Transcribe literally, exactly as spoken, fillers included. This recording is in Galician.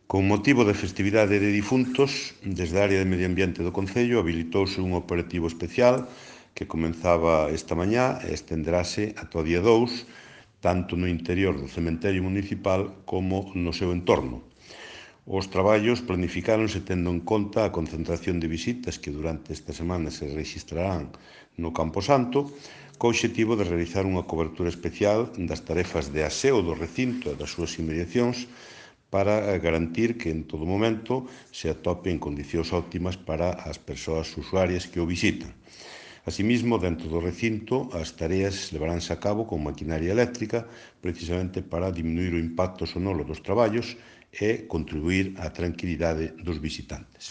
Con motivo da festividade de difuntos, desde a área de Medio Ambiente do Concello habilitouse un operativo especial que comenzaba esta mañá e estenderase ata o día dous, tanto no interior do cementerio municipal como no seu entorno. Os traballos planificáronse tendo en conta a concentración de visitas que durante esta semana se registrarán no Camposanto, co obxectivo de realizar unha cobertura especial das tarefas de aseo do recinto e das súas inmediacións para garantir que en todo momento se atope en condicións óptimas para as persoas usuarias que o visitan. Asimismo, dentro do recinto, as tareas levaránse a cabo con maquinaria eléctrica precisamente para diminuir o impacto sonoro dos traballos e contribuir á tranquilidade dos visitantes.